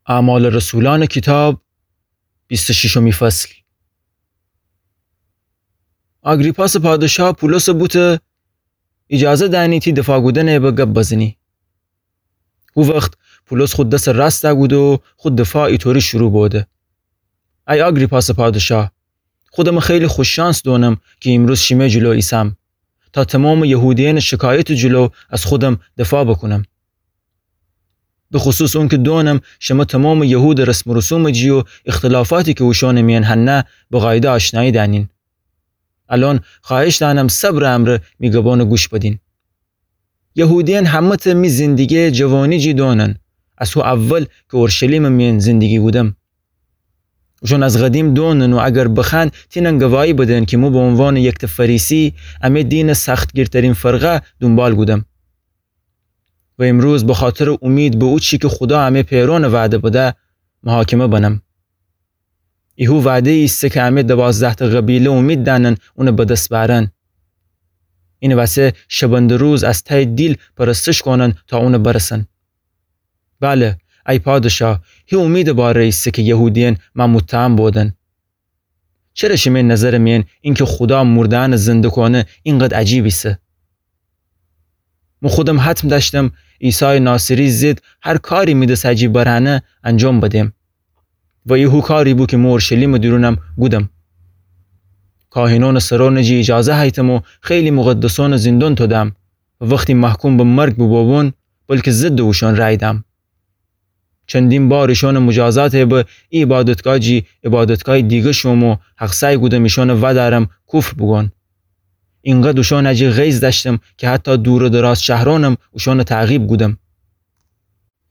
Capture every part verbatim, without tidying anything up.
اعمال رسولأنٚ کیتاب، بیست و ششمی فصل. آگریپاسٚ پادشاه پولسٚ بوته ایجازه دأنی تی دفاع کودنٚ به گب بزنی. هو وخت پولس خو دسٚ راست کوده و خو دفاع ایطوری شروع بوده: ای آگریپاسٚ پادشاه، خودمٚ خیلی خوش‌شانس دونم کی ایمروز شیمه جلو ایسم، تا تومامٚ یهودیأنٚ شکایتٚ جلو از خودم دفاع بوکونم. به خصوص اونکه دونم شمه تومامٚ یهودٚ رسم و رسومٚ جی و اختلافاتی کی اوشونٚ میأن هنه به قایده آشنایی دأنین. الأن خوأهش دأنم صبرٚ امرأ می گبأنٚ گوش بدین. یهودیأن همه‌تأ می زندگییٚ جوانی جی دونن، از هو اول کی اورشلیمٚ میأن زندگی کودم. اوشون از قدیم دونن و اگر بخوأن تینن گواهی بدن کی مو به عنوانٚ یکتأ فریسی امه دینٚ سختگیرترین فرقه دونبال کودم. و ایمروز بخاطرٚ اومید به اوچی کی خودا امه پئرأنٚ وعده بده، محاکمه بنم. ای هو وعده‌یی ایسه کی امه دوازده‌تأ قبیله اومید دأنن اونٚ به دس بأرن. اینٚ وسه شبنده روز از تأیٚ دیل پرستش کونن تا اونٚ برسن. بله، ای پادشاه، هی اومیدٚ باره ایسه کی یهودیأن مأ متهم بودن. چره شیمه نظرٚ میأن اینکه خودا مرده‌یأنٚ زنده کونه اینقدر عجیب ایسه؟ مو خودم حتم دأشتم عیسایٚ ناصری ضد هر کاری می دس جی برهنه انجام بدم. و ای هو کاری بو کی مو اورشلیمٚ دورونم کودم. کاهنأنٚ سرأنٚ جی ایجازه هیتم و خیلی مقدسأنٚ زندان تودم. و وختی محکوم به مرگ بوبوبون، بلکه ضدٚ اوشون رأی دم. چندین بار ایشونٚ مجازاتٚ به ای عبادتگاه جی عبادتگاهٚ دیگه شوم و حق‌سعی کودم ایشون ودأرم کفر بوگون. اینقدر اوشون جی غیظ دأشتم کی حتی دور و دراز شهرأنم اوشون تعقیب کودم.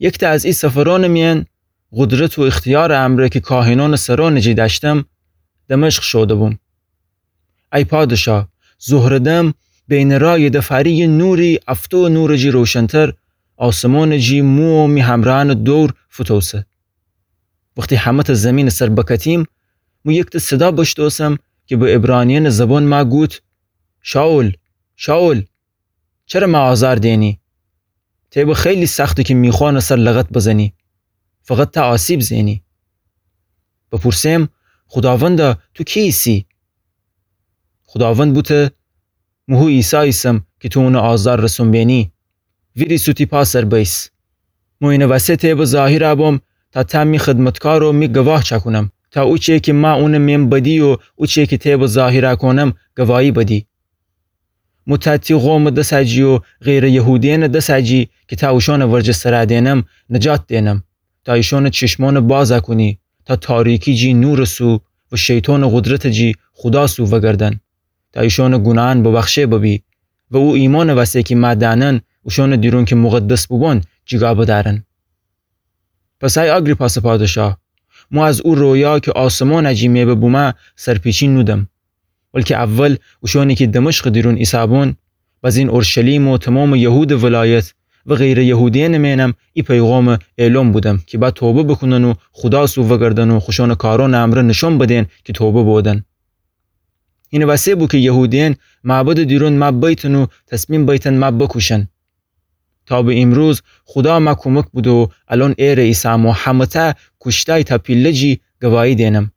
یکتأ از ای سفرأنٚ میأن قدرت و اختیارٚ امرأ کی کاهنأنٚ سرأنٚ جی دأشتم، دمشق شوده بوم. ای پادشاه، ظهرٚ دم بینٚ رأی دفاری یه نوری افتو نورٚ جی روشنتر آسمانٚ جی مو و می همرأنٚ دور فوتوسه. وختی همه‌تأ زیمینٚ سر بکتیم، مو یکتأ صدا بشتوسم کی به عبرانیأنٚ زبان مأ گوت: شائول، شائول، چره مأ آزار دینی؟ تی به خیلی سخته کی میخوأنٚ سر لغت بزنی. فقط ته آسیب زئنی. بپورسم: خوداوندا، تو کی ایسی؟ خوداوند بوته: مو هو عیسی ایسم کی تو اونٚ آزار رسون بئنی. ویریس و تی پا سر بئیس. مو اینٚ وسه تی به ظاهر بوم تا ته می خدمتکار و می گواه چأکونم، تا اوچه کی مأ اونٚ مئن بدی و اوچه کی تی به ظاهر کونم گواهی بدی. مو ته تی قومٚ دس جی و غیرٚ یهودیأنٚ دس جی کی ته اوشونٚ ورجه سر دئنم، نجات دئنم، تا ایشونٚ چشمأن باز کونی، تا تاریکی جی نورٚ سو و شیطانٚ قدرتٚ جی خودا سو وگردن، تا ایشونٚ گوناهأن ببخشه ببی و او ایمأنٚ وسه کی مأ دأنن، اوشونٚ دیرون کی مقدس بوبون جیگا بدأرن. پس ای آگریپاسٚ پادشاه، مو از او رویا کی آسمانٚ جی مئبه بومه سرپیچی نودم، بلکی اول اوشونی کی دمشقٚ دیرون ایسابون، بزین اورشلیم و تومامٚ یهودٚ ولایت و غیرٚ یهودیأنٚ مئنم ای پیغامٚ اعلام بودم کی با توبه بوکونن و خودا سو وگردن و خوشونٚ کارأنٚ امرأ نشأن بدین کی توبه بودن. اینٚ وسه بو کی یهودیأن معبدٚ دیرون مأ بیتن و تصمیم بیتن مأ بکوشن. تا به ایمروز خودا مأ کومک بوده و الأن ایره ایسم و همه‌تأ کوشتای تا پیله جی گواهی دئنم.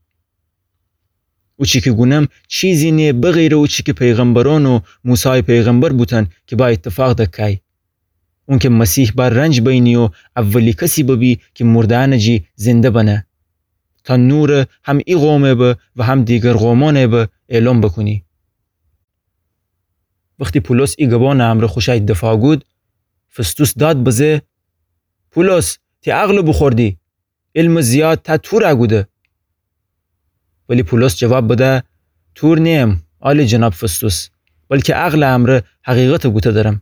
اوچی کی گونم چیزی نیه بغیرٚ اوچی کی پیغمبرأن و موسای پیغمبر بوتن کی با ایتفاق دکای. اونکی مسیح با رنج بینی و اولی کسی ببی کی مرده‌یأنٚ جی زنده بنه، تا نورٚ هم ای قومٚ به و هم دیگر قومأنٚ به اعلام بوکونی. وختی پولس ای گبأنٚ امرأ خوشأی دفاع کود، فستوس داد بزه: پولس، تی عقلٚ بوخوردی، علمٚ زیاد تا تورٚ کوده. ولی پولس جواب بده: تور نییم، عالی جناب فستوس، بلکی عقلٚ امرأ حقیقتٚ گوته درم.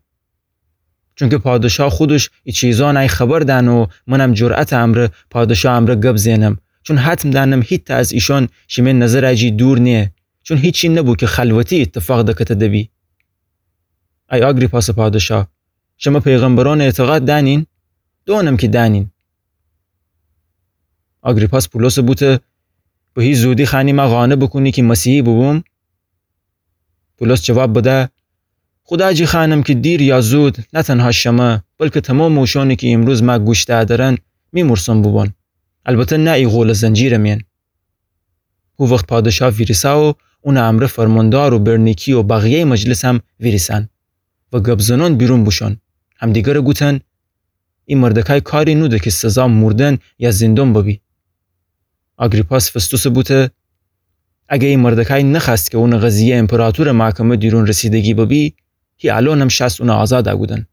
چونکی پادشاه خودش ای چیزأنٚ خبر دأنه و منم جرأتٚ امرأ پادشاه امرأ گب زئنم، چون حتم دأنم هیتأ از ایشأن شیمه نظرٚ جی دور نیه، چون هیچی نبو کی خلوتی ایتفاق دکته دبی. ای آگریپاسٚ پادشاه، شمه پیغمبرأن اعتقاد دأنین؟ دونم کی دأنین. آگریپاس پولسٚ بوته: به هی زودی خوأنی مأ قانع بوکونی کی مسیحی بوبوم؟ پولس جواب بده: خودا جی خوأنم کی دیر یا زود، نه تنها شمه، بلکی تومامٚ اوشأنی کی ایمروز مأ گوش دأدرن، می مورسون بوبون. البته نه ای قولٚ زنجیرٚ میأن. هو وخت پادشاه ویریسه و اونٚ امرأ فرماندار و برنیکی و بقیه‌یٚ مجلسم ویریسأن و گب‌زنأن بیرون بوشوأن، همدیگرٚ گوتن: ای مردکای کاری نوده کی سزا موردن یا زیندان ببی. آگریپاس فستوسٚ بوته: اگر ای مردکای نخوأست کی اونٚ قضیه ایمپراطورٚ محکمه دیرون رسیدگی ببی، هی الأنم شأست اون آزاد کودن.